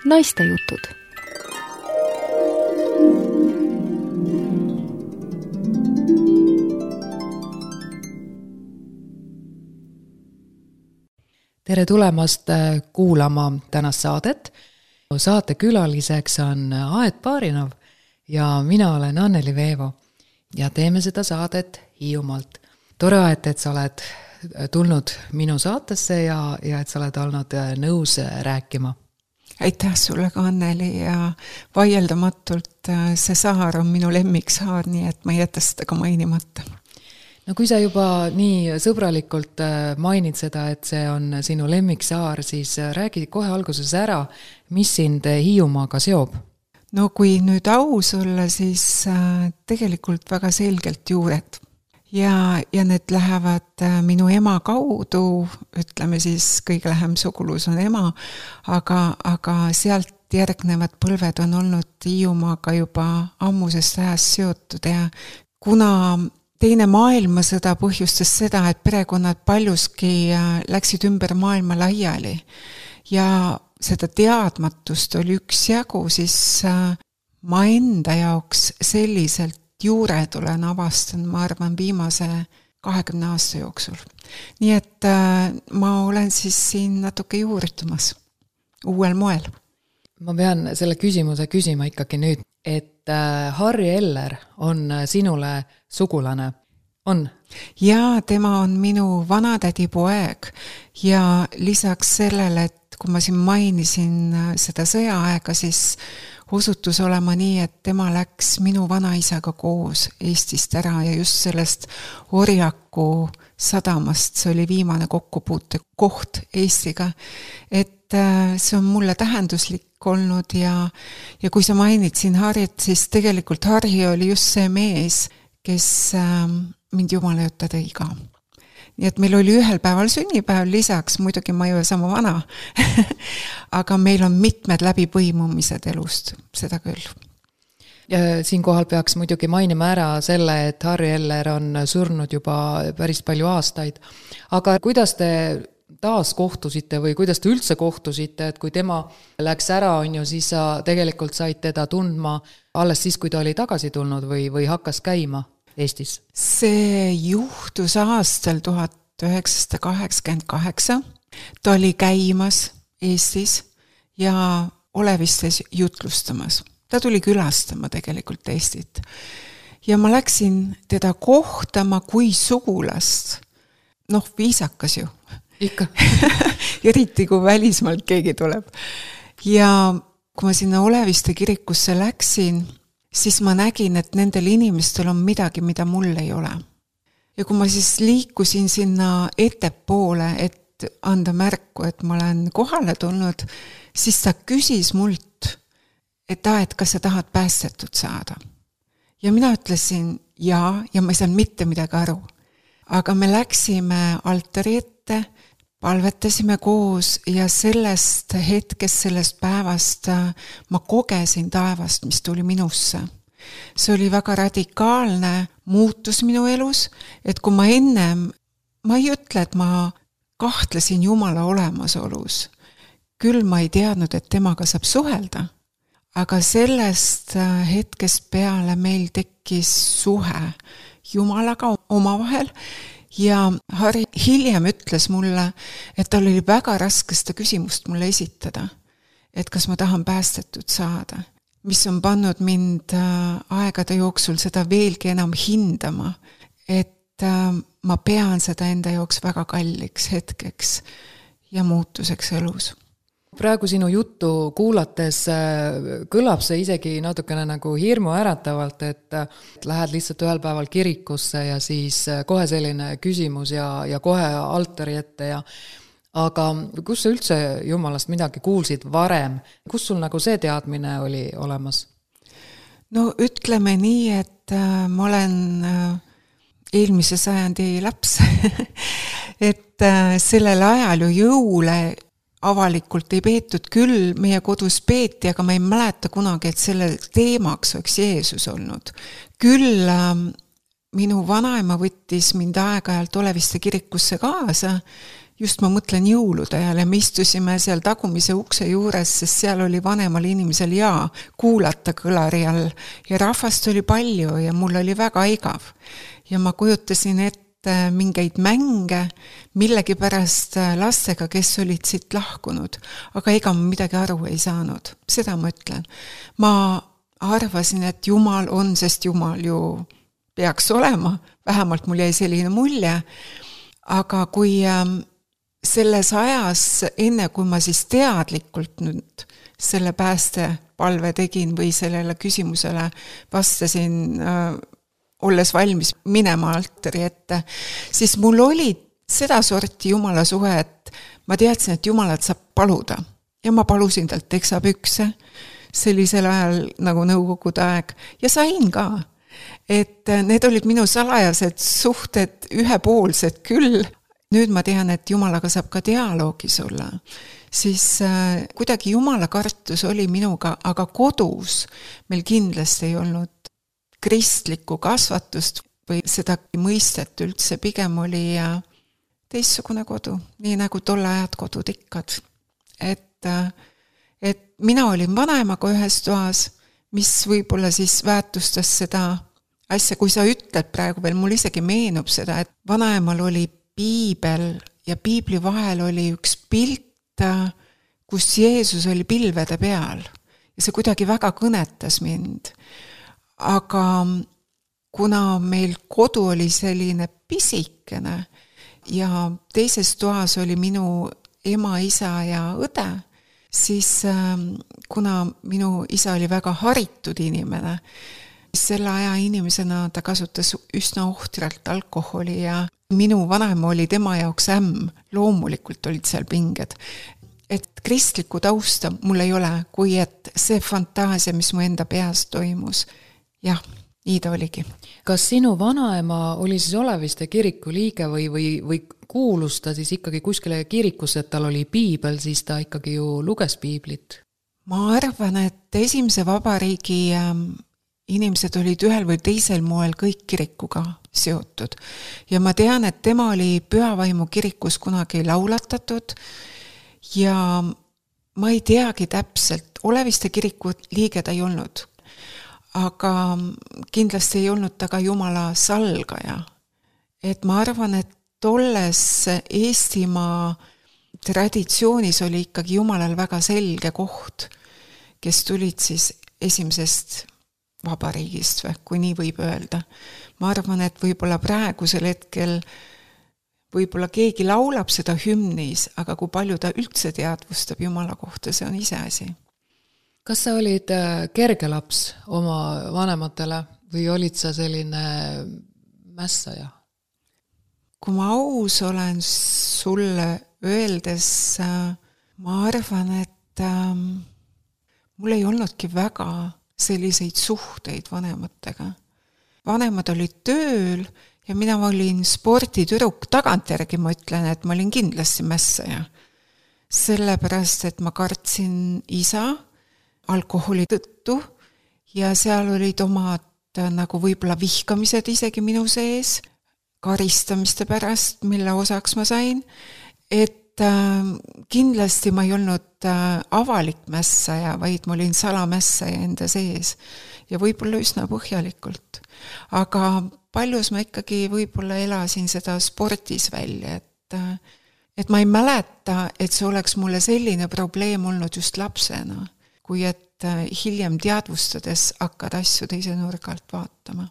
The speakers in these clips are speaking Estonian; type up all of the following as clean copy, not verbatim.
Naistejutud. Tere tulemast kuulama tänast saadet. Saate külaliseks on Aet Baarinov ja mina olen Anneli Veevo ja teeme seda saadet Hiiumaalt. Tore, Aet, et sa oled tulnud minu saatesse ja et sa oled olnud nõus rääkima. Aitäh sulle ka, Anneli, ja vaieldamatult see saar on minu lemmiksaar, nii et ma ei jäta seda ka mainimata. No kui sa juba nii sõbralikult mainid seda, et see on sinu lemmiksaar, siis räägi kohe alguses ära, mis sind Hiiumaaga seob? No kui nüüd aus olla, siis tegelikult väga selgelt juured. Ja need lähevad minu ema kaudu, ütleme siis kõige lähem sugulus on ema, aga sealt järgnevad põlved on olnud Hiiumaaga juba ammusest ajast seotud ja kuna teine maailmasõda põhjustas seda, et perekonnad paljuski läksid ümber maailma laiali ja seda teadmatust oli üksjagu, siis ma enda jaoks selliselt juured olen avastanud, ma arvan, viimase 20 aasta jooksul. Nii et ma olen siis siin natuke juurdumas uuel moel. Ma pean selle küsimuse küsima ikkagi nüüd, et Harri Eller on sinule sugulane, on? Jaa, tema on minu vanatädi poeg ja lisaks sellele, et kui ma siin mainisin seda sõjaaega, siis osutus olema nii, et tema läks minu vanaisaga koos Eestist ära ja just sellest Orjaku sadamast, see oli viimane kokkupuute koht Eestiga, et see on mulle tähenduslik olnud ja kui sa mainid siin Harrit, siis tegelikult Harri oli just see mees, kes mind jumala juurde tõi ka. Nii et meil oli ühel päeval sünnipäev lisaks, muidugi ma ei ole sama vana, aga meil on mitmed läbipõimumised elust, seda küll. Ja siinkohal peaks muidugi mainima ära selle, et Harri Eller on surnud juba päris palju aastaid. Aga kuidas te taas kohtusite või kuidas te üldse kohtusite, et kui tema läks ära, on ju, siis sa tegelikult said teda tundma alles siis, kui ta oli tagasi tulnud või hakkas käima Eestis? See juhtus aastal 1988. Ta oli käimas Eestis ja Olevistes jutlustamas. Ta tuli külastama tegelikult Eestit. Ja ma läksin teda kohtama kui sugulast. Noh, viisakas ju. Ikka. Eriti kui välismaalt keegi tuleb. Ja kui ma sinna Oleviste kirikusse läksin, siis ma nägin, et nendel inimestel on midagi, mida mul ei ole. Ja kui ma siis liikusin sinna ettepoole, et anda märku, et ma olen kohale tulnud, siis ta küsis mult, et kas sa tahad päästetud saada. Ja mina ütlesin ja ma ei saanud mitte midagi aru. Aga me läksime altari ette, palvetasime koos ja sellest hetkest, sellest päevast ma kogesin taevast, mis tuli minusse. See oli väga radikaalne muutus minu elus, et kui ma ennem, ma ei ütle, et ma kahtlesin Jumala olemasolus, küll ma ei teadnud, et temaga saab suhelda, aga sellest hetkest peale meil tekkis suhe Jumalaga omavahel. Ja Harri hiljem ütles mulle, et tal oli väga raske seda küsimust mulle esitada, et kas ma tahan päästetud saada, mis on pannud mind aegade jooksul seda veelgi enam hindama, et ma pean seda enda jooks väga kalliks hetkeks ja muutuseks elus. Praegu sinu juttu kuulates kõlab see isegi natukene nagu hirmu äratavalt, et lähed lihtsalt ühel päeval kirikusse ja siis kohe selline küsimus ja kohe altari ette. Aga kus sa üldse Jumalast midagi kuulsid varem? Kus sul nagu see teadmine oli olemas? No ütleme nii, et ma olen eelmise sajandi laps, et sellel ajal ju jõule avalikult ei peetud, küll meie kodus peeti, aga ma ei mäleta kunagi, et selle teemaks oleks Jeesus olnud. Küll minu vanaema võttis mind aeg-ajalt Oleviste kirikusse kaasa just ma mõtlen jõulude ajal ja me istusime seal tagumise ukse juures, sest seal oli vanemal inimesel kuulata kõlari all ja rahvast oli palju ja mul oli väga igav. Ja ma kujutasin ette mingeid mänge millegipärast lastega, kes olid siit lahkunud, aga ega ma midagi aru ei saanud. Seda ma ütlen. Ma arvasin, et Jumal on, sest Jumal ju peaks olema, vähemalt mul jäi selline mulje, aga kui selles ajas, enne kui ma siis teadlikult nüüd selle päästepalve tegin või sellele küsimusele vastasin, olles valmis minema altari ette, siis mul oli seda sorti Jumala suhe, et ma teadsin, et Jumalat saab paluda. Ja ma palusin talt teksapükse sellisel ajal nagu nõukogude aeg ja sain ka. Et need olid minu salajased suhted ühepoolsed küll. Nüüd ma tean, et Jumalaga saab ka dialoogis olla. Siis kuidagi Jumala kartus oli minuga, aga kodus meil kindlasti ei olnud kristlikku kasvatust või seda mõistet üldse, pigem oli teistsugune kodu, nii nagu tolle ajad kodud ikkad. Et mina olin vanaemaga ühes toas, mis võib-olla siis väärtustas seda asja, kui sa ütled praegu veel, mul isegi meenub seda, et vanaemal oli piibel ja piibli vahel oli üks pilt, kus Jeesus oli pilvede peal ja see kuidagi väga kõnetas mind. Aga kuna meil kodu oli selline pisikene ja teises toas oli minu ema, isa ja õde, siis kuna minu isa oli väga haritud inimene, selle aja inimesena ta kasutas üsna ohtralt alkoholi ja minu vanaema oli tema jaoks loomulikult olid seal pinged. Et kristlikku tausta mul ei ole, kui et see fantaasia, mis mu enda peas toimus. Jah, nii ta oligi. Kas sinu vanaema oli siis Oleviste kiriku liige või kuulus ta siis ikkagi kuskile kirikusse, et tal oli piibel, siis ta ikkagi ju luges piiblit? Ma arvan, et esimese vabariigi inimesed olid ühel või teisel moel kõik kirikuga seotud. Ja ma tean, et tema oli Pühavaimu kirikus kunagi laulatatud ja ma ei teagi täpselt, Oleviste kiriku liige ta ei olnud, aga kindlasti ei olnud ta ka Jumala salgaja. Et ma arvan, et tolles Eestimaa traditsioonis oli ikkagi Jumalal väga selge koht, kes tulid siis esimesest vabariigist, kui nii võib öelda. Ma arvan, et võib-olla praegusel hetkel võib-olla keegi laulab seda hümnis, aga kui palju ta üldse teadvustab Jumala kohta, see on iseasi. Kas sa olid kerge laps oma vanematele või olid sa selline mässaja? Kui ma aus olen sulle öeldes, ma arvan, et mul ei olnudki väga selliseid suhteid vanematega. Vanemad olid tööl ja mina olin sporditüdruk, tagantjärgi ma ütlen, et ma olin kindlasti mässaja. Sellepärast, et ma kartsin isa alkoholi tõttu ja seal olid omad nagu võib-olla vihkamised isegi minu sees, karistamiste pärast, mille osaks ma sain, et kindlasti ma ei olnud avalik mässaja, vaid ma olin salamässaja enda sees ja võib-olla üsna põhjalikult. Aga paljus ma ikkagi võib-olla elasin seda spordis välja, et ma ei mäleta, et see oleks mulle selline probleem olnud just lapsena, kui et hiljem teadvustades hakkad asju teise nurgalt vaatama.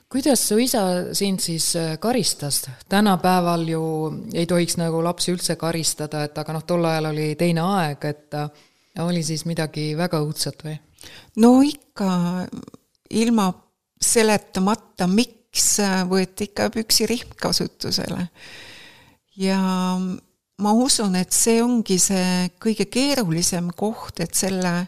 Kuidas su isa sind siis karistas? Tänapäeval ju ei tohiks nagu lapsi üldse karistada, et aga tol ajal oli teine aeg, et oli siis midagi väga õudset või? No ikka ilma seletamata, miks võeti ikka püksirihm kasutusele. Ja ma usun, et see ongi see kõige keerulisem koht, et selle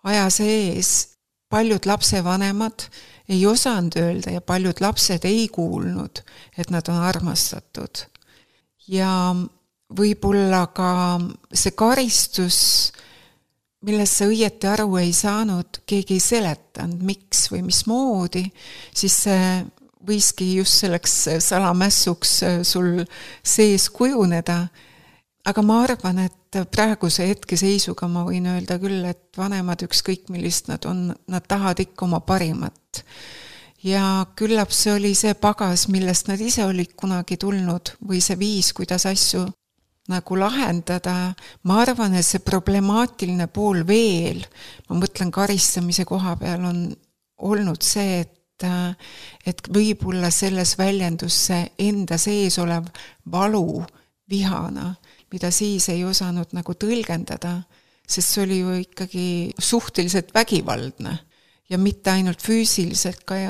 aja sees paljud lapsevanemad ei osanud öelda ja paljud lapsed ei kuulnud, et nad on armastatud. Ja võib-olla ka see karistus, millest sa õieti aru ei saanud, keegi ei seletanud, miks või mismoodi, siis see võiski just selleks salamässuks sul sees kujuneda, aga ma arvan, et praeguse hetkeseisuga ma võin öelda küll, et vanemad ükskõik millist nad on, nad tahavad ikka oma parimat. Ja küllap see oli see pagas, millest nad ise olid kunagi tulnud või see viis, kuidas asju nagu lahendada. Ma arvan, et see problemaatiline pool veel, ma mõtlen karistamise koha peal, on olnud see, et võib-olla selles väljendus see enda sees olev valu vihana, mida siis ei osanud nagu tõlgendada, sest see oli ju ikkagi suhteliselt vägivaldne ja mitte ainult füüsiliselt, ka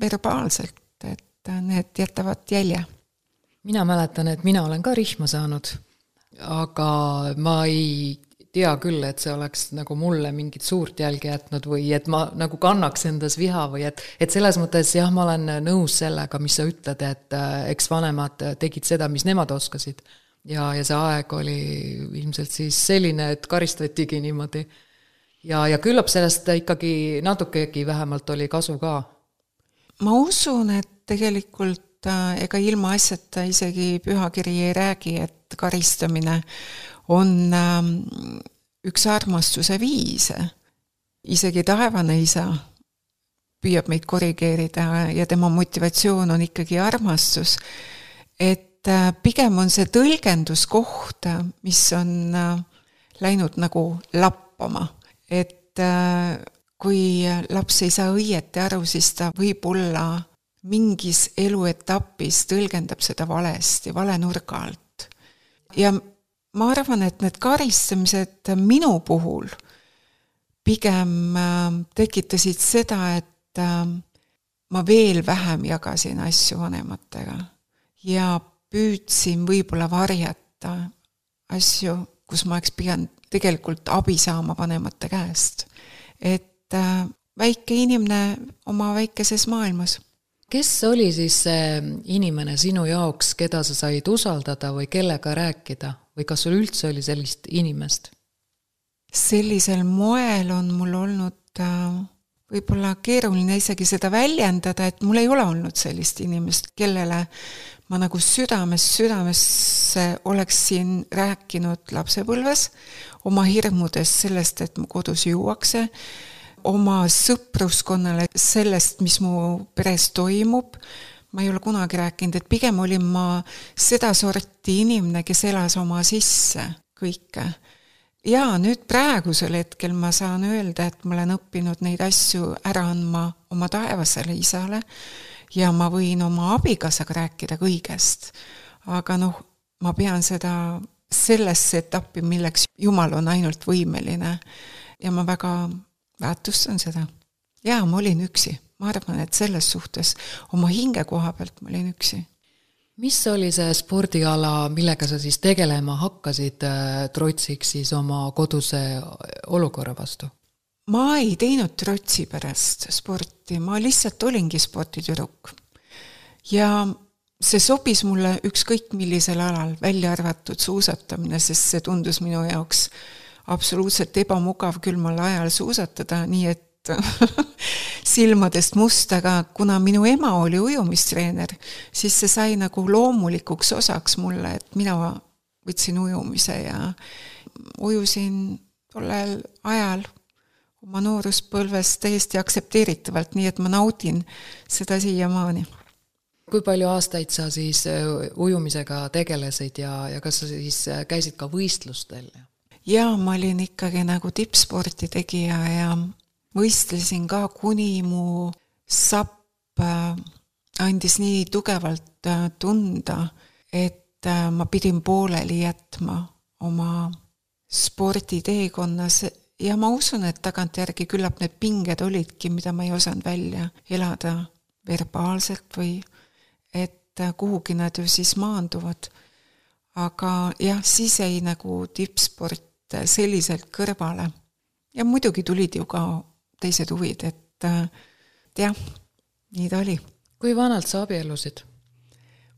verbaalselt, et need jätavad jälje. Mina mäletan, et mina olen ka rihma saanud, aga ma ei tea küll, et see oleks nagu mulle mingit suurt jälge jätnud või et ma nagu kannaks endas viha või et selles mõttes jah, ma olen nõus sellega, mis sa ütled, et eks vanemad tegid seda, mis nemad oskasid ja see aeg oli ilmselt siis selline, et karistatigi niimoodi ja küllap sellest ikkagi natukegi vähemalt oli kasu ka. Ma usun, et tegelikult ega ilma asjata isegi pühakiri ei räägi, et karistamine on üks armastuse viise. Isegi taevane isa püüab meid korrigeerida ja tema motivatsioon on ikkagi armastus. Et pigem on see tõlgenduskoht, mis on läinud nagu lappama. Et kui laps ei saa õieti aru, siis ta võib olla mingis eluetapis tõlgendab seda valesti, vale nurga alt. Ja ma arvan, et need karistamised minu puhul pigem tekitasid seda, et ma veel vähem jagasin asju vanematega ja püüdsin võib-olla varjata asju, kus ma oleks pigem tegelikult abi saama vanemate käest. Et väike inimene oma väikeses maailmas. Kes oli siis see inimene sinu jaoks, keda sa said usaldada või kellega rääkida? Või kas sul üldse oli sellist inimest? Sellisel moel on mul olnud võib-olla keeruline isegi seda väljendada, et mul ei ole olnud sellist inimest, kellele ma nagu südamesse oleksin rääkinud lapsepõlves, oma hirmudest sellest, et mu kodus juuakse, oma sõpruskonnale sellest, mis mu peres toimub. Ma ei ole kunagi rääkinud, et pigem olin ma seda sorti inimene, kes elas oma sisse kõike. Ja nüüd praegusel hetkel ma saan öelda, et ma olen õppinud neid asju ära andma oma taevasele isale ja ma võin oma abikaasaga rääkida kõigest. Aga ma pean seda sellesse etappi, milleks Jumal on ainult võimeline ja ma väga väärtustan seda. Ja ma olin üksi. Ma arvan, et selles suhtes oma hinge koha pealt ma olin üksi. Mis oli see spordiala, millega sa siis tegelema hakkasid trotsiks siis oma koduse olukorra vastu? Ma ei teinud trotsi pärast sporti, ma lihtsalt olingi sporditüdruk. Ja see sobis mulle ükskõik millisel alal, välja arvatud suusatamine, sest see tundus minu jaoks absoluutselt ebamugav külmal ajal suusatada, nii et silmadest must, aga kuna minu ema oli ujumistreener, siis see sai nagu loomulikuks osaks mulle, et mina võtsin ujumise ja ujusin tollel ajal oma nooruspõlves täiesti aktsepteeritavalt, nii et ma naudin seda siiamaani. Kui palju aastaid sa siis ujumisega tegelesid ja kas sa siis käisid ka võistlustel? Ja ma olin ikkagi nagu tippsporti tegija ja võistlesin ka, kuni mu sapp andis nii tugevalt tunda, et ma pidin pooleli jätma oma sporditeekonnas ja ma usun, et tagantjärgi küllap need pinged olidki, mida ma ei osanud välja elada verbaalselt või et kuhugi nad ju siis maanduvad. Aga jah, siis ei nagu tippsport selliselt kõrvale. Ja muidugi tulid ju ka teised huvid, et jah, nii ta oli. Kui vanalt sa abiellusid?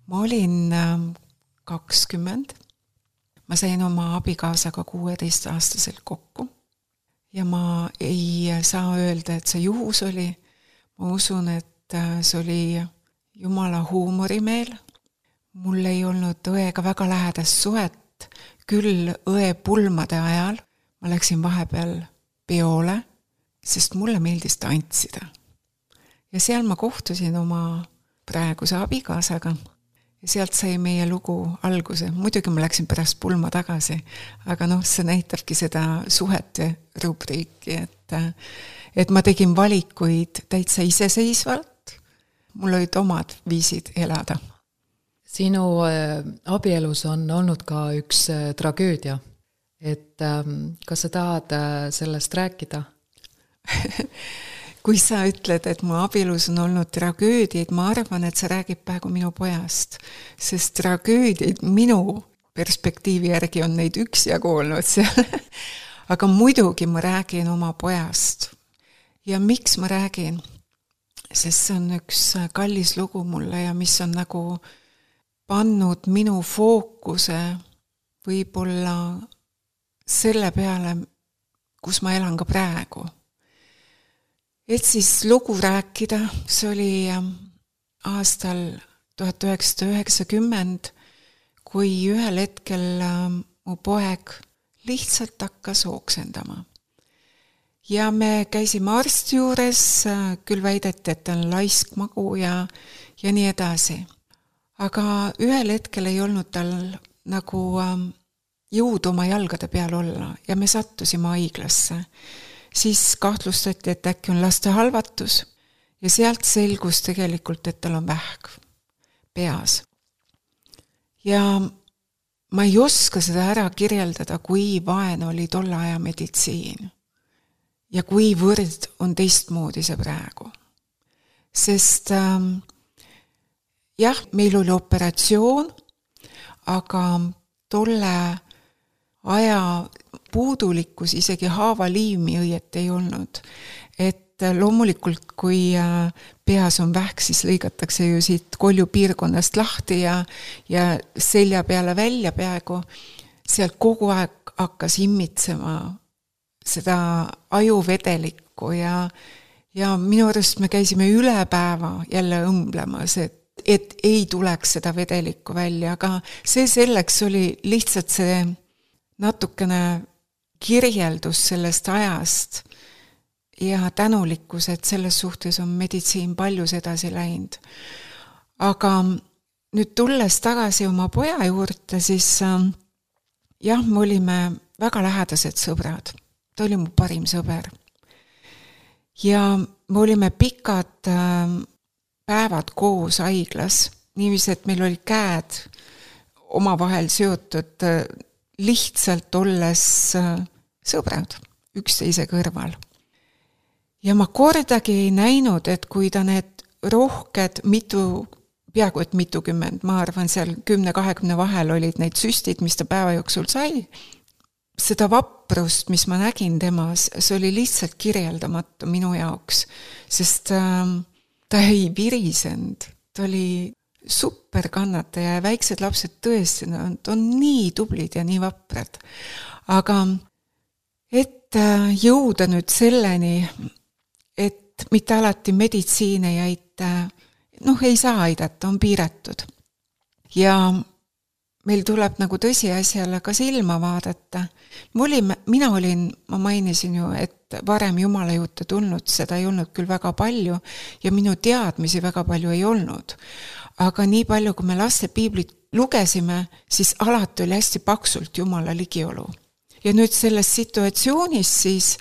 Ma olin 20. Ma sain oma abikaasaga 16-aastaselt kokku ja ma ei saa öelda, et see juhus oli. Ma usun, et see oli Jumala huumorimeel. Mul ei olnud õega väga lähedast suhet küll õe pulmade ajal, ma läksin vahepeal peole, sest mulle meeldis tantsida. Ja seal ma kohtusin oma praeguse abikaasaga ja sealt sai meie lugu alguse. Muidugi ma läksin pärast pulma tagasi, aga see näitabki seda suhete rubriiki, et ma tegin valikuid täitsa iseseisvalt, mul olid omad viisid elada. Sinu abielus on olnud ka üks tragöödia, et kas sa tahad sellest rääkida? Kui sa ütled, et mu abielus on olnud tragöödiaid, ma arvan, et sa räägib praegu minu pojast, sest tragöödiaid minu perspektiivi järgi on neid üksjagu olnud seal. Aga muidugi ma räägin oma pojast. Ja miks ma räägin? Sest see on üks kallis lugu mulle ja mis on nagu pannud minu fookuse võib-olla selle peale, kus ma elan ka praegu. Et siis lugu rääkida, see oli aastal 1990, kui ühel hetkel mu poeg lihtsalt hakkas ooksendama. Ja me käisime arsti juures, küll väideti, et ta on laiskmagu ja nii edasi. Aga ühel hetkel ei olnud tal nagu jõud oma jalgade peal olla ja me sattusime haiglasse. Siis kahtlustati, et äkki on laste halvatus ja sealt selgus tegelikult, et tal on vähk peas. Ja ma ei oska seda ära kirjeldada, kui vaene oli tolle aja meditsiin ja kuivõrd on teistmoodi see praegu. Sest jah, meil oli operatsioon, aga tolle aja puudulikkus, isegi haavaliimi õiet ei olnud. Et loomulikult, kui peas on vähk, siis lõigatakse ju siit kolju piirkonnast lahti ja selja peale välja peaaegu. Sealt kogu aeg hakkas immitsema seda ajuvedelikku ja minu arust me käisime üle päeva jälle õmblemas, et ei tuleks seda vedelikku välja, aga see selleks oli lihtsalt see natukene kirjeldus sellest ajast ja tänulikkus, et selles suhtes on meditsiin paljus edasi läinud. Aga nüüd tulles tagasi oma poja juurde, siis jah, me olime väga lähedased sõbrad. Ta oli mu parim sõber. Ja me olime pikad päevad koos haiglas, niiviisi, et meil oli käed omavahel seotud lihtsalt olles sõbrad üksteise kõrval. Ja ma kordagi ei näinud, et kui ta need rohked peaaegu et mitukümmend, ma arvan seal 10-20 vahel olid neid süstid, mis ta päeva jooksul sai, seda vaprust, mis ma nägin temas, see oli lihtsalt kirjeldamatu minu jaoks, sest ta ei virisend, ta oli super kannataja ja väiksed lapsed tõesti, nad on nii tublid ja nii vaprad. Aga et jõuda nüüd selleni, et mitte alati meditsiin ei aita, ei saa aidata, on piiratud. Ja meil tuleb nagu tõsiasjale ka silma vaadata. Ma mainisin ju, et varem Jumala juurde tulnud, seda ei olnud küll väga palju ja minu teadmisi väga palju ei olnud. Aga nii palju, kui me laste piiblit lugesime, siis alati oli hästi paksult Jumala ligiolu. Ja nüüd selles situatsioonis siis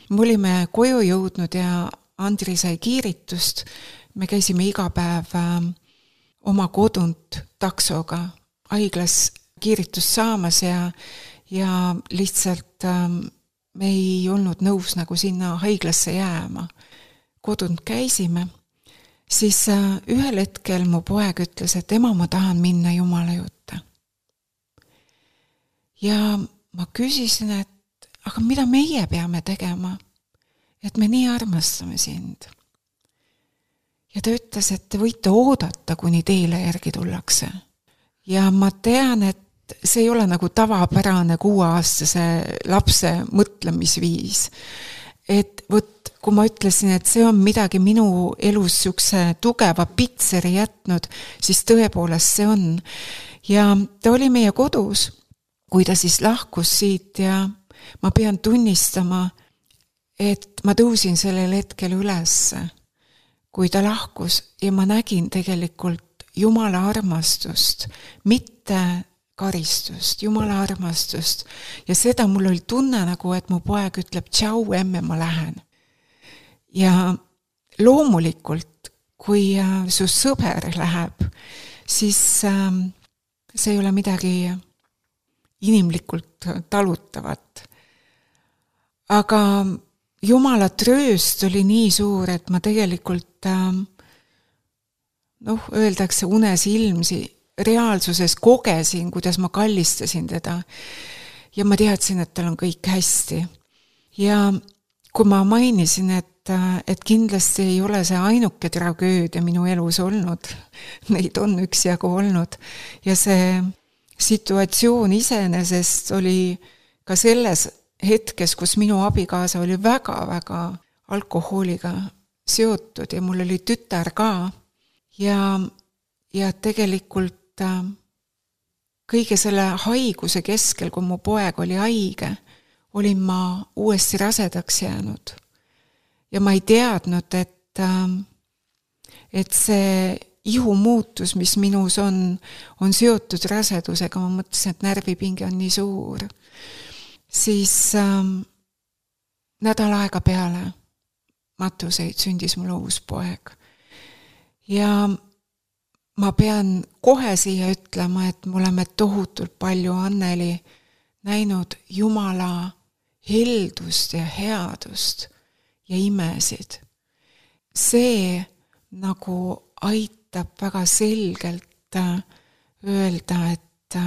me olime koju jõudnud ja Andri sai kiiritust. Me käisime iga päev oma kodunt taksoga haiglas kiiritust saamas ja lihtsalt me ei olnud nõus nagu sinna haiglasse jääma. Kodunt käisime. Siis ühel hetkel mu poeg ütles, et ema, ma tahan minna Jumala juurde. Ja ma küsisin, et aga mida meie peame tegema, et me nii armastame sind. Ja ta ütles, et te võite oodata, kuni teile järgi tullakse. Ja ma tean, et see ei ole nagu tavapärane 6-aastase lapse mõtlemisviis. Et kui ma ütlesin, et see on midagi minu elus siukse tugeva pitseri jätnud, siis tõepoolest see on. Ja ta oli meie kodus kui ta siis lahkus siit ja ma pean tunnistama, et ma tõusin sellel hetkel ülesse, kui ta lahkus ja ma nägin tegelikult Jumala armastust, mitte karistust, Jumala armastust. Ja seda mul oli tunne nagu, et mu poeg ütleb, tšau, emme, ma lähen. Ja loomulikult, kui su sõber läheb, siis see ei ole midagi inimlikult talutavat. Aga Jumala trööst oli nii suur, et ma tegelikult, öeldakse unes ilmsi, reaalsuses kogesin, kuidas ma kallistasin teda. Ja ma teadsin, et tal on kõik hästi. Ja kui ma mainisin, et kindlasti ei ole see ainuke tragöödia minu elus olnud, neid on üksjagu olnud, ja see situatsioon iseenesest oli ka selles hetkes, kus minu abikaasa oli väga-väga alkohooliga seotud ja mul oli tütar ka ja tegelikult kõige selle haiguse keskel, kui mu poeg oli haige, olin ma uuesti rasedaks jäänud. Ja ma ei teadnud, et see ihumuutus, mis minus on seotud rasedusega, ma mõtlesin, et närvipinge on nii suur. Siis nädal aega peale matuseid sündis mul uus poeg. Ja ma pean kohe siia ütlema, et me oleme tohutult palju Anneli näinud Jumala heldust ja headust ja imesid. See nagu aitab väga selgelt öelda, et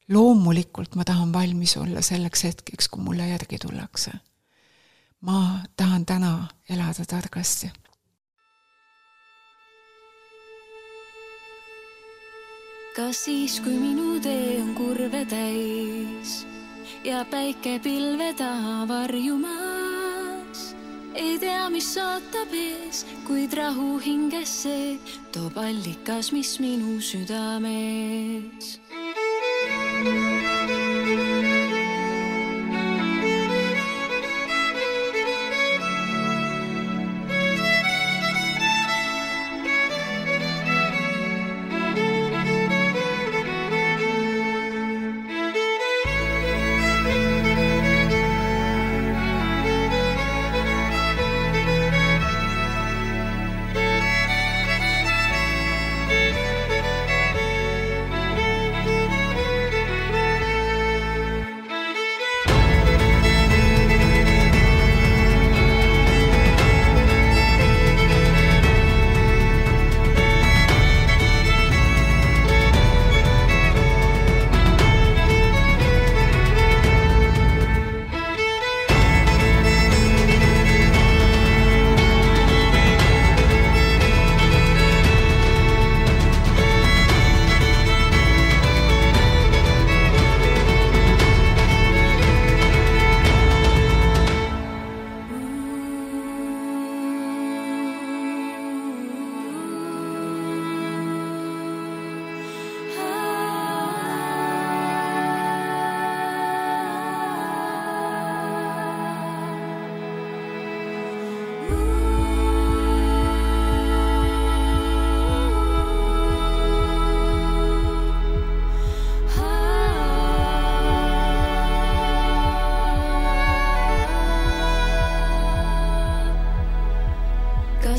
loomulikult ma tahan valmis olla selleks hetkeks, kui mulle järgi tullakse. Ma tahan täna elada targasti. Kas siis, kui minu tee on kurve täis ja päike pilve taha varjumas, ei tea, mis ootab ees, kuid rahu hingesse toob allikas, mis minu südames.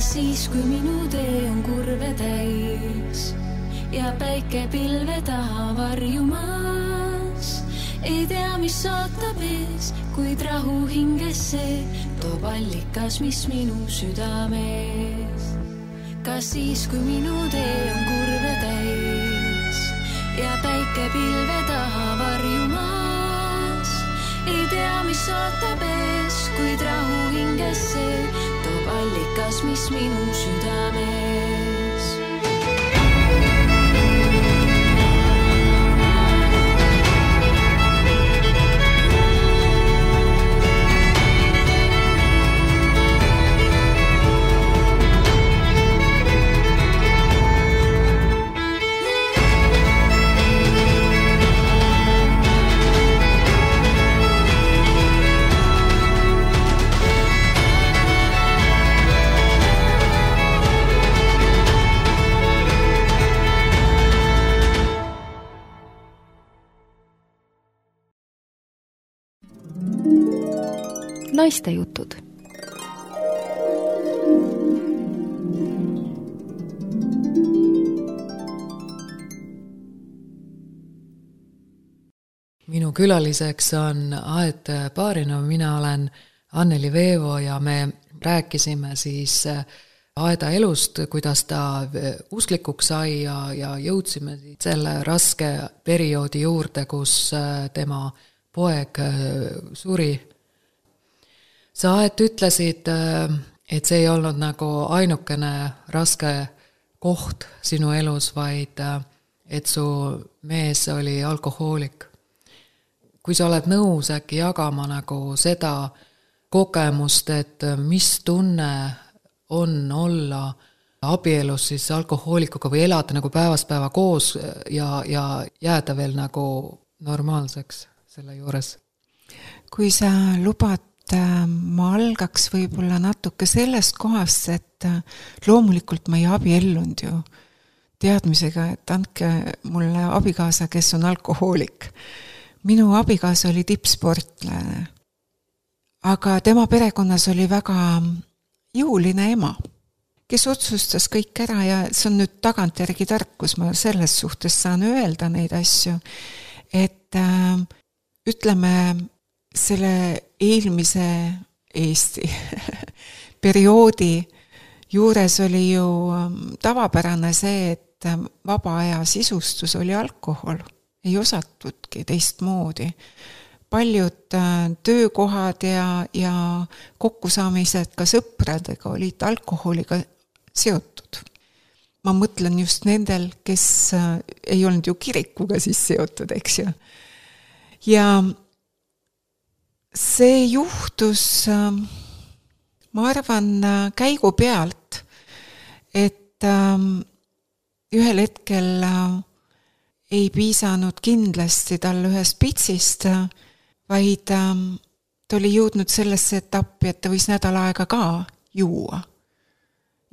Siis, kui minu tee on kurve täis ja päike pilve taha varjumas, ei tea, mis ootab ees, kuid rahu hingesse toob allikas, mis minu südames. Kas siis, kui minu tee on kurve täis ja päike pilve taha varjumas, ei tea, mis ootab ees, kuid rahu hingesse toob allikas, mis minu südames. Naistejutud. Minu külaliseks on Aet Baarinov, mina olen Anneli Veevo ja me rääkisime siis Aeda elust, kuidas ta usklikuks sai ja jõudsime selle raske perioodi juurde, kus tema poeg suri. Sa Aet ütlesid, et see ei olnud nagu ainukene raske koht sinu elus, vaid et su mees oli alkohoolik. Kui sa oled nõus äkki jagama nagu seda kogemust, et mis tunne on olla abielus siis alkohoolikuga või elada nagu päevast päeva koos ja jääda veel nagu normaalseks selle juures? Kui sa lubad, ma algaks võib-olla natuke sellest kohast, et loomulikult ma ei abiellunud ju teadmisega, et andke mulle abikaasa, kes on alkohoolik. Minu abikaasa oli tippsportlane, aga tema perekonnas oli väga jõuline ema, kes otsustas kõik ära ja see on nüüd tagantjärgi tarkus, ma selles suhtes saan öelda neid asju, et ütleme selle eelmise Eesti perioodi juures oli ju tavapärane see, et vaba aja sisustus oli alkohol. Ei osatudki teistmoodi. Paljud töökohad ja kokkusaamised ka sõpradega olid alkoholiga seotud. Ma mõtlen just nendel, kes ei olnud ju kirikuga siis seotud, eks ju. Ja see juhtus, ma arvan, käigu pealt, et ühel hetkel ei piisanud kindlasti tal ühest pitsist, vaid ta oli jõudnud sellesse etappi, et ta võis nädal aega ka juua.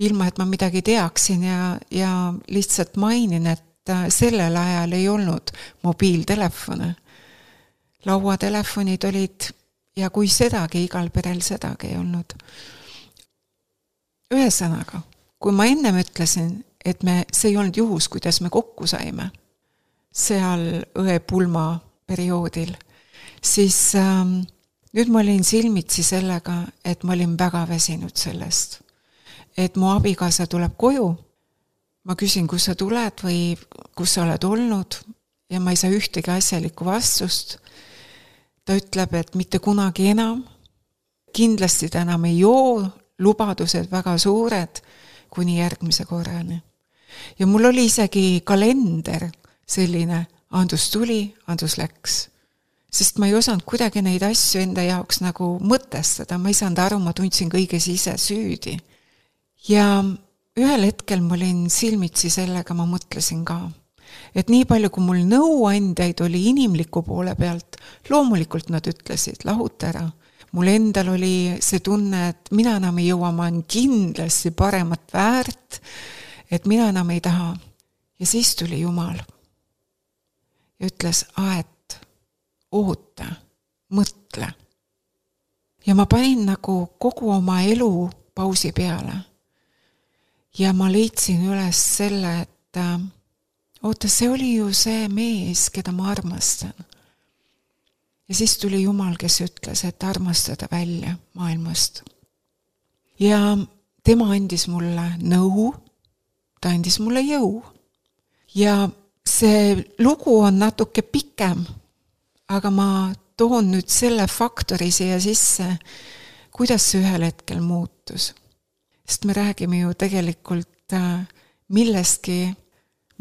Ilma, et ma midagi teaksin ja lihtsalt mainin, et sellel ajal ei olnud mobiiltelefone. Lauatelefonid olid ja kui sedagi, igal perel sedagi ei olnud. Ühesõnaga, kui ma ennem ütlesin, et see ei olnud juhus, kuidas me kokku saime, seal õepulma perioodil, siis nüüd ma olin silmitsi sellega, et ma olin väga väsinud sellest. Et mu abikaasa tuleb koju, ma küsin, kus sa tuled või kus sa oled olnud ja ma ei saa ühtegi asjalikku vastust. Ta ütleb, et mitte kunagi enam, kindlasti ta enam ei joo, lubadused väga suured kuni järgmise korrani. Ja mul oli isegi kalender, selline, Andus tuli, Andus läks. Sest ma ei osanud kuidagi neid asju enda jaoks nagu mõtestada, ma ei saanud aru, ma tundsin kõiges ise süüdi. Ja ühel hetkel ma olin silmitsi sellega, ma mõtlesin ka, et nii palju, kui mul nõuandjaid oli inimliku poole pealt, loomulikult nad ütlesid, lahuta ära. Mul endal oli see tunne, et mina enam ei jõua, ma olen kindlasti paremat väärt, et mina enam ei taha. Ja siis tuli Jumal. Ja ütles, Aet, oota, mõtle. Ja ma panin nagu kogu oma elu pausi peale. Ja ma leidsin üles selle, et oota, see oli ju see mees, keda ma armastan. Ja siis tuli Jumal, kes ütles, et armastada välja maailmast. Ja tema andis mulle nõu, ta andis mulle jõu. Ja see lugu on natuke pikem, aga ma toon nüüd selle faktori siia sisse, kuidas see ühel hetkel muutus. Sest me räägime ju tegelikult millestki,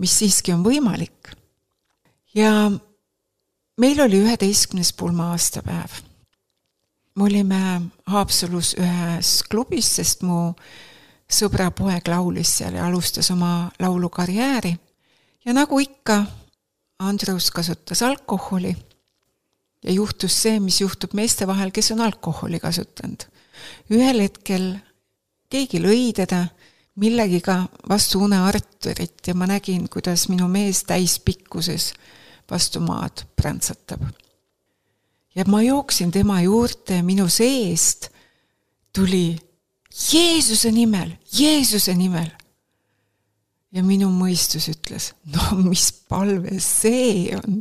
mis siiski on võimalik. Ja meil oli 11. pulma aastapäev. Me olime Haapsalus ühes klubis, sest mu sõbra poeg laulis seal ja alustas oma laulukarjääri. Ja nagu ikka, Andrus kasutas alkoholi ja juhtus see, mis juhtub meeste vahel, kes on alkoholi kasutanud. Ühel hetkel keegi lõi teda millegiga vastu unearturit ja ma nägin, kuidas minu mees täispikkuses vastu maad prantsatab. Ja ma jooksin tema juurde ja minu seest tuli Jeesuse nimel. Ja minu mõistus ütles, no mis palve see on?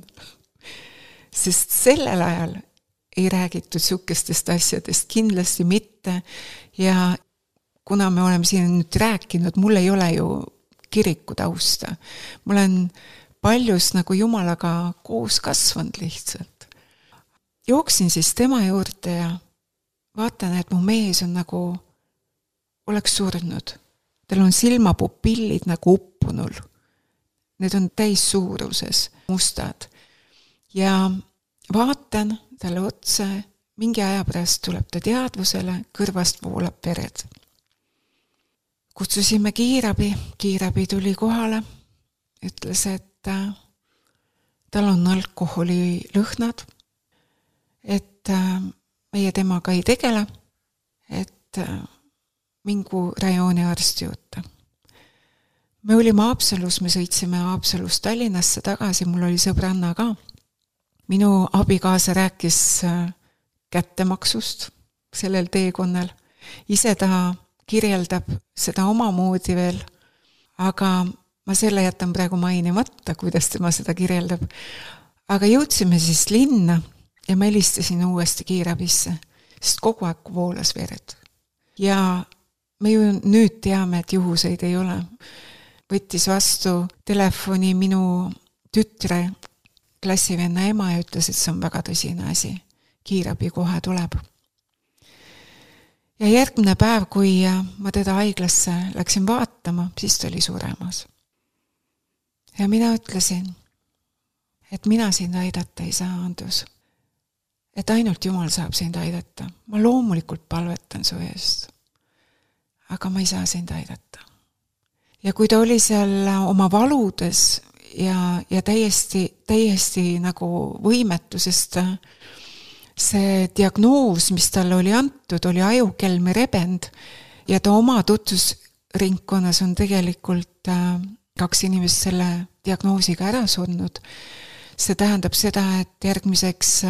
Sest sellel ajal ei räägitud sukestest asjadest, kindlasti mitte. Ja kuna me oleme siin nüüd rääkinud, mul ei ole ju kiriku tausta. Ma olen paljus nagu Jumalaga koos kasvanud lihtsalt. Jooksin siis tema juurde ja vaatan, et mu mees on nagu oleks surnud. Tal on silmapupillid nagu uppunul. Need on täis suuruses, mustad. Ja vaatan talle otsa, mingi aja pärast tuleb ta teadvusele, kõrvast voolab vered. Kutsusime kiirabi tuli kohale, ütles, et tal on alkoholi lõhnad, et meie temaga ei tegele, et mingu rajooni arsti juurde. Me olime Haapsalus, me sõitsime Haapsalust Tallinnasse tagasi, mul oli sõbranna ka. Minu abikaasa rääkis kättemaksust sellel teekonnal. Ise ta kirjeldab seda omamoodi veel, aga ma selle jätan praegu mainimata, kuidas tema seda kirjeldab. Aga jõudsime siis linna ja ma helistasin uuesti kiirabisse, sest kogu aeg voolas vered. Ja me ju nüüd teame, et juhuseid ei ole. Võttis vastu telefoni minu tütre klassivenna ema ja ütles, et see on väga tõsine asi. Kiirabi kohe tuleb. Ja järgmine päev, kui ma teda haiglasse läksin vaatama, siis ta oli suremas. Ja mina ütlesin, et mina sind aidata ei saa, Andrus. Et ainult Jumal saab sind aidata. Ma loomulikult palvetan su eest. Aga ma ei saa sind aidata. Ja kui ta oli seal oma valudes ja täiesti nagu võimetusest, see diagnoos, mis talle oli antud, oli ajukelme rebend ja ta oma tutvusringkonnas on tegelikult 2 inimest selle diagnoosiga ära surnud. See tähendab seda, et järgmiseks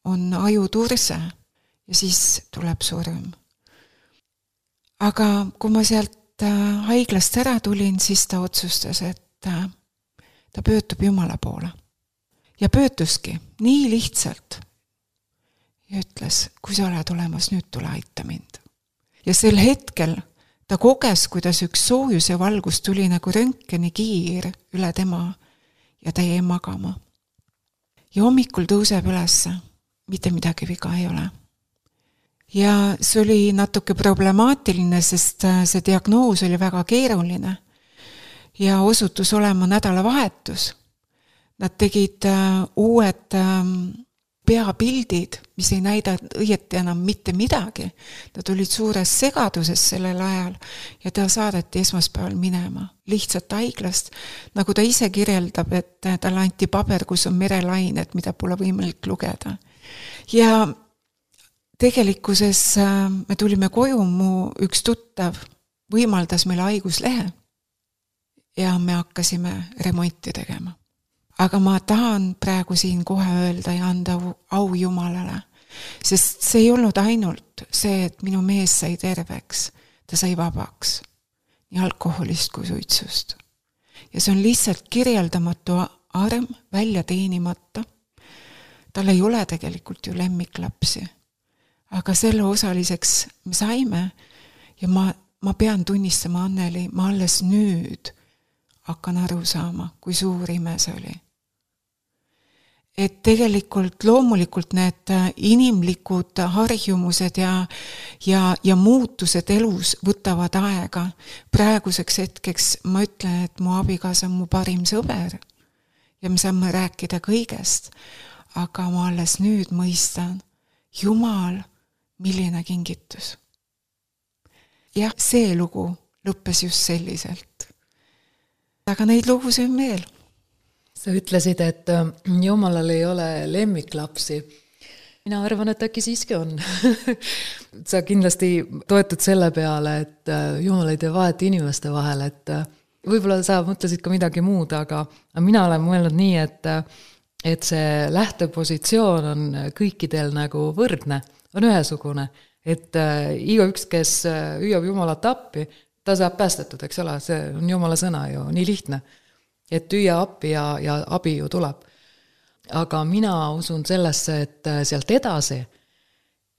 on ajuturse ja siis tuleb surm. Aga kui ma sealt haiglast ära tulin, siis ta otsustas, et ta pöördub Jumala poole. Ja pöörduski nii lihtsalt. Ja ütles, kui sa oled olemas, nüüd tule aita mind. Ja sel hetkel ta koges, kuidas üks soojus ja valgus tuli nagu röntgeni kiir üle tema ja ta jäi magama. Ja hommikul tõuseb üles, mitte midagi viga ei ole. Ja see oli natuke problemaatiline, sest see diagnoos oli väga keeruline ja osutus olema nädalavahetus. Nad tegid uued peapildid, mis ei näida õieti enam mitte midagi. Nad olid suures segaduses sellel ajal ja ta saadeti esmaspäeval minema. Lihtsalt haiglast, nagu ta ise kirjeldab, et talle anti paber, kus on merelainet, mida pole võimalik lugeda. Ja tegelikkuses me tulime koju, mu üks tuttav võimaldas meile haiguslehe ja me hakkasime remonti tegema. Aga ma tahan praegu siin kohe öelda ja anda au Jumalale, sest see ei olnud ainult see, et minu mees sai terveks, ta sai vabaks nii alkoholist kui suitsust. Ja see on lihtsalt kirjeldamatu arm välja teenimata. Tal ei ole tegelikult ju lemmiklapsi. Aga selle osaliseks me saime ja ma pean tunnistama, Anneli, ma alles nüüd hakkan aru saama, kui suur ime see oli. Et tegelikult loomulikult need inimlikud harjumused ja muutused elus võtavad aega. Praeguseks hetkeks ma ütlen, et mu abikaasa on mu parim sõber ja me saame rääkida kõigest, aga ma alles nüüd mõistan, Jumal, milline kingitus. Jah, see lugu lõppes just selliselt. Aga neid lugusid on veel. Sa ütlesid, et Jumalal ei ole lemmiklapsi. Mina arvan, et äkki siiski on. Sa kindlasti toetud selle peale, et Jumal ei tee vahet inimeste vahel, et võib-olla sa mõtlesid ka midagi muud, aga mina olen mõelnud nii, et see lähtepositsioon on kõikidel nagu võrdne, on ühesugune, et igaüks, kes hüüab Jumalat appi, ta saab päästetud, eks ole, see on Jumala sõna ju, nii lihtne. Et hüüa appi ja abi ju tuleb. Aga mina usun sellesse, et sealt edasi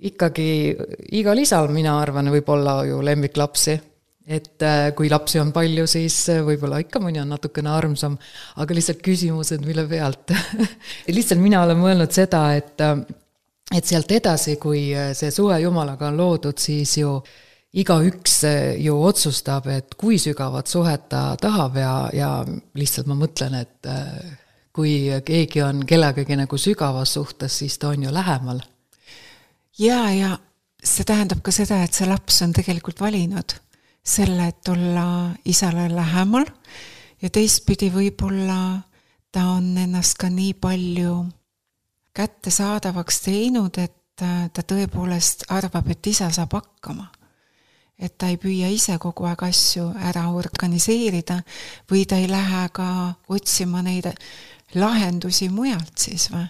ikkagi igal isal, mina arvan, võib olla ju lemmiklapsi. Et kui lapsi on palju, siis võib-olla ikka mõni on natukene armsam, aga lihtsalt küsimused, mille pealt. Lihtsalt mina olen mõelnud seda, et sealt edasi, kui see suhe Jumalaga on loodud, siis ju igaüks ju otsustab, et kui sügavat suhet ta tahab ja lihtsalt ma mõtlen, et kui keegi on kellegagi nagu sügavas suhtes, siis ta on ju lähemal. Ja see tähendab ka seda, et see laps on tegelikult valinud selle, et olla isale lähemal ja teistpidi võib-olla ta on ennast ka nii palju kättesaadavaks teinud, et ta tõepoolest arvab, et isa saab hakkama. Et ta ei püüa ise kogu aeg asju ära organiseerida või ta ei lähe ka otsima neid lahendusi mujalt siis või.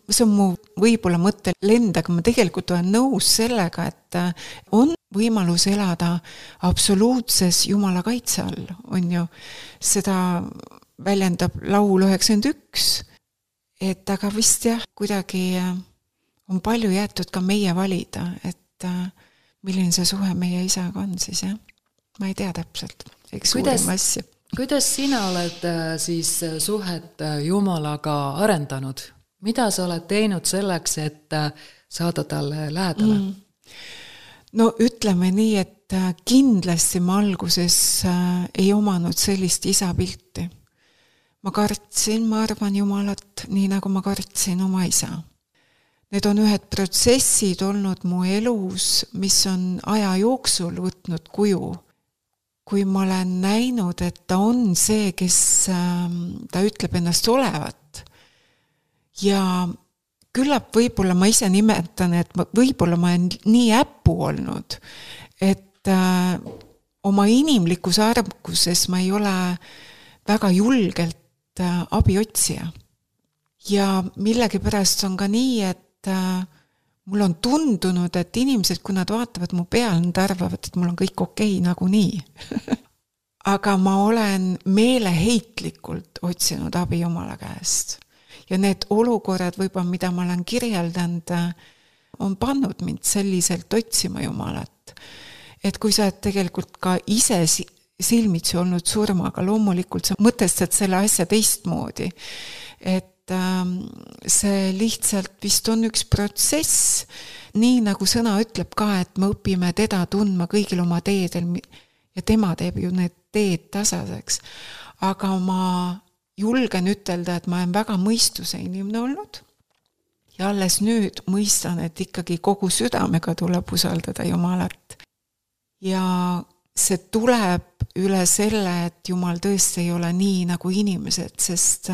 See on mu võib-olla mõtte lend, aga ma tegelikult olen nõus sellega, et on võimalus elada absoluutses Jumala kaitse all, on ju. Seda väljendab laul 91, et aga vist jah, kuidagi on palju jäetud ka meie valida, et milline see suhe meie isaga on siis, jah. Ma ei tea täpselt, eks suurim asja. Kuidas sina oled siis suhet Jumalaga arendanud? Mida sa oled teinud selleks, et saada talle lähedale? No ütleme nii, et kindlasti ma alguses ei omanud sellist isapilti. Ma kartsin, ma arvan Jumalat, nii nagu ma kartsin oma isa. Need on ühed protsessid olnud mu elus, mis on aja jooksul võtnud kuju. Kui ma olen näinud, et ta on see, kes ta ütleb ennast olevat. Ja küllap võib-olla ma ise nimetan, et võib-olla ma olen nii äppu olnud, et oma inimlikus arvukuses ma ei ole väga julgelt abiotsija. Ja millegipärast on ka nii, et mul on tundunud, et inimesed, kui nad vaatavad mu peal, nad arvavad, et mul on kõik okei nagu nii. Aga ma olen meeleheitlikult otsinud abi Jumala käest. Ja need olukorrad võib-olla, mida ma olen kirjeldanud, on pannud mind selliselt otsima Jumalat. Et kui sa oled tegelikult ka ise silmitsi olnud surmaga, loomulikult sa mõtestad selle asja teistmoodi. Et see lihtsalt vist on üks protsess, nii nagu sõna ütleb ka, et me õpime teda tundma kõigil oma teedel ja tema teeb ju need teed tasaseks. Aga ma julgen ütelda, et ma olen väga mõistuse inimene olnud ja alles nüüd mõistan, et ikkagi kogu südamega tuleb usaldada Jumalat. Ja see tuleb üle selle, et Jumal tõesti ei ole nii nagu inimesed, sest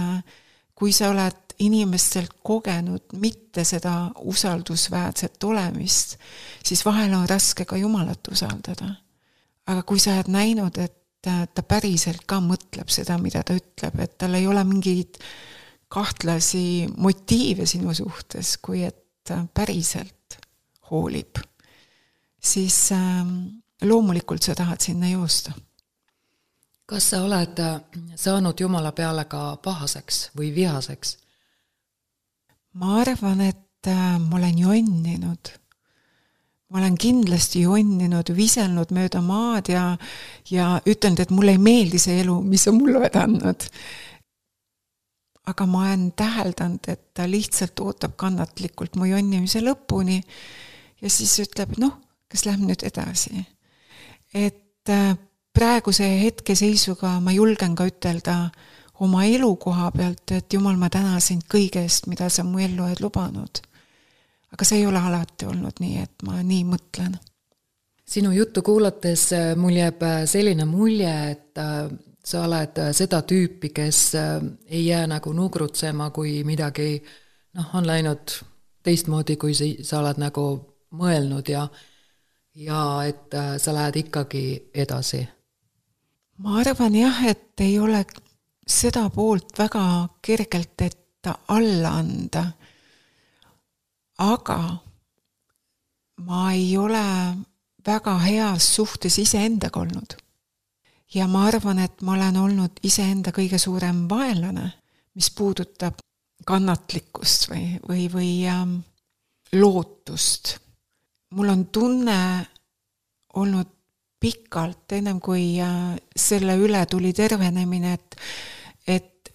kui sa oled inimestelt kogenud mitte seda usaldusväärset olemist, siis vahel on raske ka Jumalat usaldada. Aga kui sa oled näinud, et ta päriselt ka mõtleb seda, mida ta ütleb, et tal ei ole mingeid kahtlasi motiive sinu suhtes, kui et päriselt hoolib, siis loomulikult sa tahad sinna joosta. Kas sa oled saanud Jumala peale ka pahaseks või vihaseks? Ma arvan, et ma olen jonninud. Ma olen kindlasti jonninud, viselnud mööda maad ja ütlenud, et mulle ei meeldi see elu, mis on mulle vedanud. Aga ma olen täheldanud, et ta lihtsalt ootab kannatlikult mu jonnimise lõpuni ja siis ütleb, kas läheb nüüd edasi. Et praeguse hetkeseisuga ma julgen ka ütelda oma elukoha pealt, et Jumal, ma tänasin kõigest, mida sa mu ellu oled lubanud. Aga see ei ole alati olnud nii, et ma nii mõtlen. Sinu juttu kuulates mul jääb selline mulje, et sa oled seda tüüpi, kes ei jää nagu nugrutsema, kui midagi on läinud teistmoodi, kui sa oled nagu mõelnud ja et sa lähed ikkagi edasi. Ma arvan jah, et ei ole seda poolt väga kergelt, et karta alla anda. Aga ma ei ole väga heas suhtes iseendaga olnud. Ja ma arvan, et ma olen olnud iseenda kõige suurem vaenlane, mis puudutab kannatlikkust või lootust. Mul on tunne olnud pikalt, ennem kui selle üle tuli tervenemine, et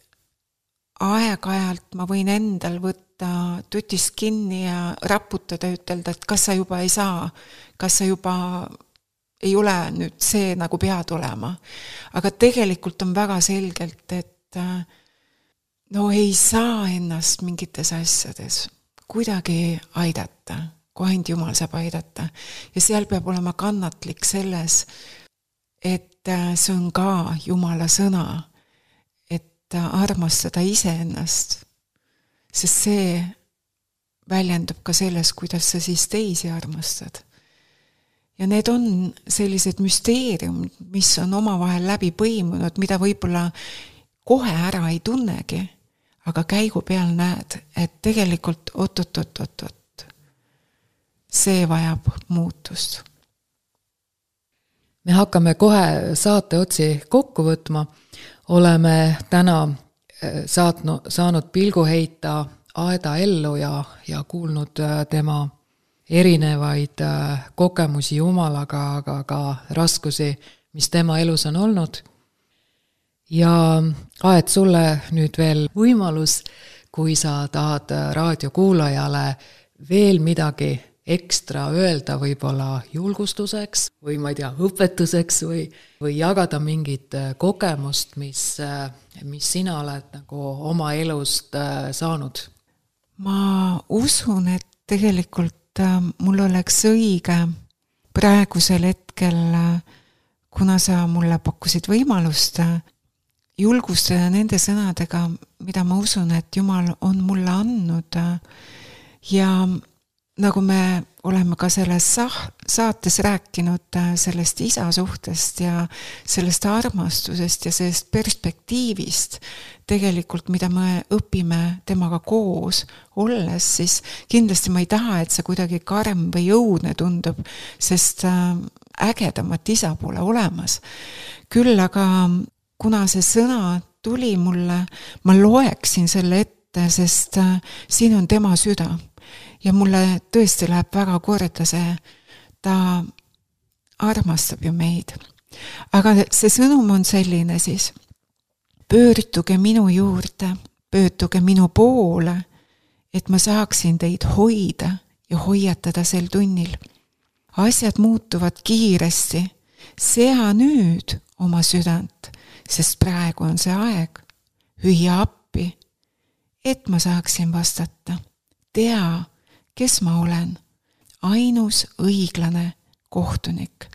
aeg-ajalt ma võin endal võtta tutist kinni ja raputada, ütelda, et kas sa juba ei saa, kas sa juba ei ole nüüd see, nagu pead olema. Aga tegelikult on väga selgelt, et no ei saa ennast mingites asjades kuidagi aidata, kui ainult Jumal saab aidata. Ja seal peab olema kannatlik selles, et see on ka Jumala sõna, et armastada iseennast, sest see väljendub ka selles, kuidas sa siis teisi armastad. Ja need on sellised müsteeriumid, mis on omavahel läbi põimunud, mida võib-olla kohe ära ei tunnegi, aga käigu peal näed, et tegelikult oot. See vajab muutust. Me hakkame kohe saate otsi kokku võtma. Oleme täna saanud pilgu heita Aeda ellu ja kuulnud tema erinevaid kogemusi Jumalaga, aga ka raskusi, mis tema elus on olnud. Ja Aed, sulle nüüd veel võimalus, kui sa tahad raadiokuulajale veel midagi ekstra öelda, võib-olla julgustuseks või ma ei tea, õpetuseks või jagada mingit kogemust, mis sina oled nagu oma elust saanud. Ma usun, et tegelikult mul oleks õige praegusel hetkel, kuna sa mulle pakkusid võimalust julgustada nende sõnadega, mida ma usun, et Jumal on mulle andnud. Ja nagu me oleme ka selles saates rääkinud sellest isa suhtest ja sellest armastusest ja sellest perspektiivist, tegelikult mida me õpime temaga koos olles, siis kindlasti ma ei taha, et see kuidagi karm või õudne tundub, sest ägedamat isa pole olemas. Küll aga kuna see sõna tuli mulle, ma loeksin selle ette, sest siin on tema süda. Ja mulle tõesti läheb väga korda see, ta armastab ju meid. Aga see sõnum on selline siis, pöörduge minu juurde, pöörduge minu poole, et ma saaksin teid hoida ja hoiatada sel tunnil. Asjad muutuvad kiiresti, sea nüüd oma südant, sest praegu on see aeg, hüüa appi, et ma saaksin vastata. Tea, kes ma olen, ainus õiglane kohtunik.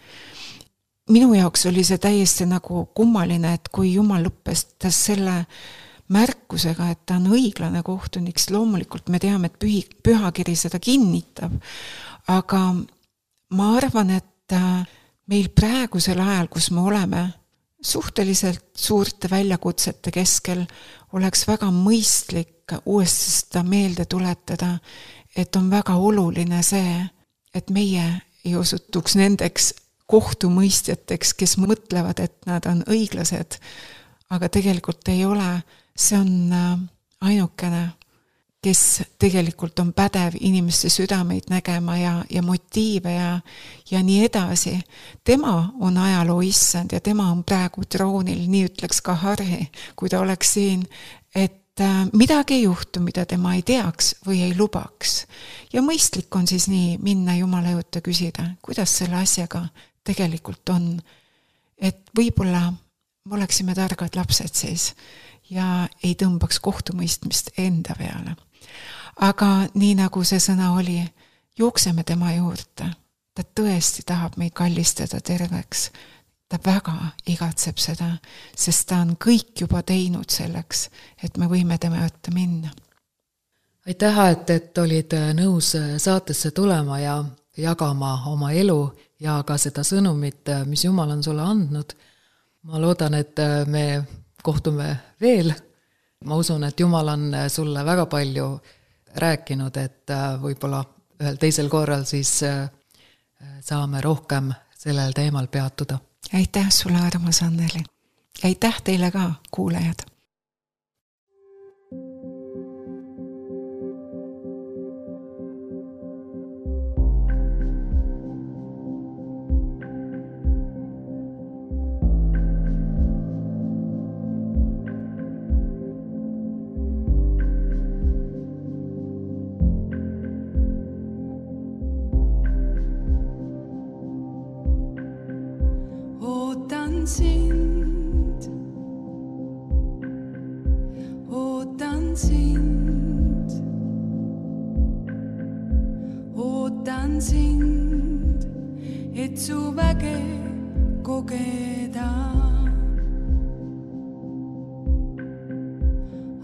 Minu jaoks oli see täiesti nagu kummaline, et kui Jumal lõppestas selle märkusega, et ta on õiglane kohtunik, loomulikult me teame, et pühakiri seda kinnitab, aga ma arvan, et meil praegusel ajal, kus me oleme suhteliselt suurte väljakutsete keskel, oleks väga mõistlik uuesti seda meelde tuletada, et on väga oluline see, et meie ei osutuks nendeks kohtumõistjateks, kes mõtlevad, et nad on õiglased, aga tegelikult ei ole. See on ainukene, kes tegelikult on pädev inimeste südameid nägema ja motiive ja nii edasi. Tema on ajaloo issand ja tema on praegu troonil, nii ütleks ka Harri, kui ta oleks siin, et midagi ei juhtu, mida tema ei teaks või ei lubaks. Ja mõistlik on siis nii minna Jumala juurde küsida, kuidas selle asjaga tegelikult on. Et võib-olla me oleksime targad lapsed siis ja ei tõmbaks kohtumõistmist enda peale. Aga nii nagu see sõna oli, jookseme tema juurde. Ta tõesti tahab meid kallistada terveks. Ta väga igatseb seda, sest ta on kõik juba teinud selleks, et me võime tema juurde minna. Aitäh, et olid nõus saatesse tulema ja jagama oma elu ja ka seda sõnumit, mis Jumal on sulle andnud. Ma loodan, et me kohtume veel ma usun, et Jumal on sulle väga palju rääkinud, et võib-olla ühel teisel korral siis saame rohkem sellel teemal peatuda. Aitäh sulle, armas Anneli. Aitäh teile ka, kuulajad. Ootan sind, et su väge kogeda.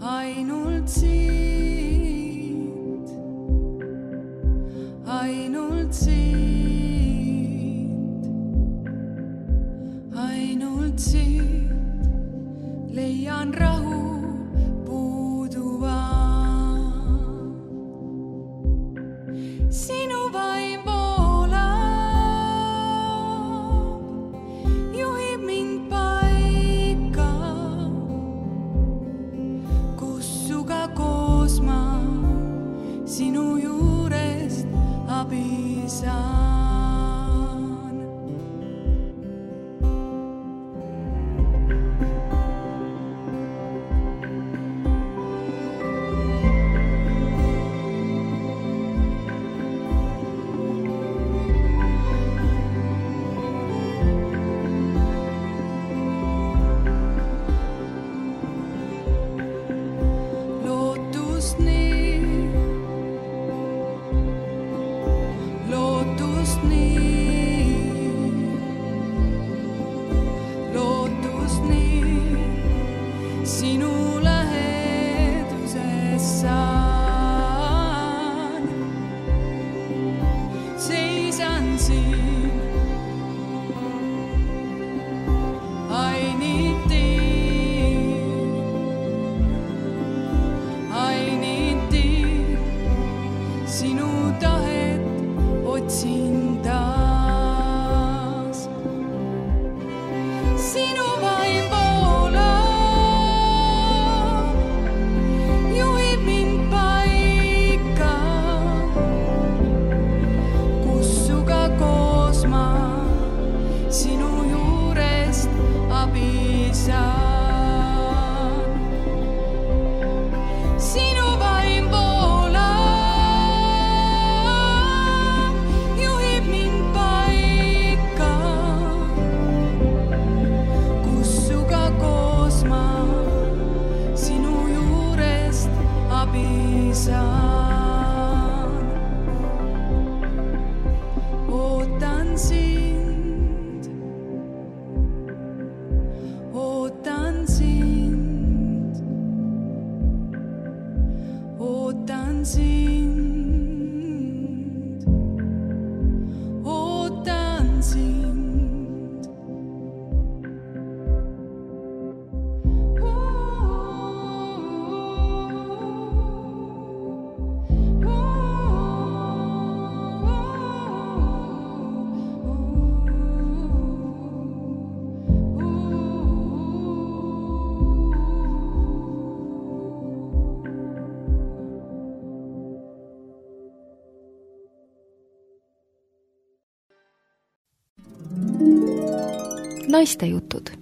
Ainult siit, ainult siit, ainult siit leian rahu puuduva. Sinu vaim voolab, juhib mind paika, kus suga koos ma sinu juurest abi saan. Naistejutud.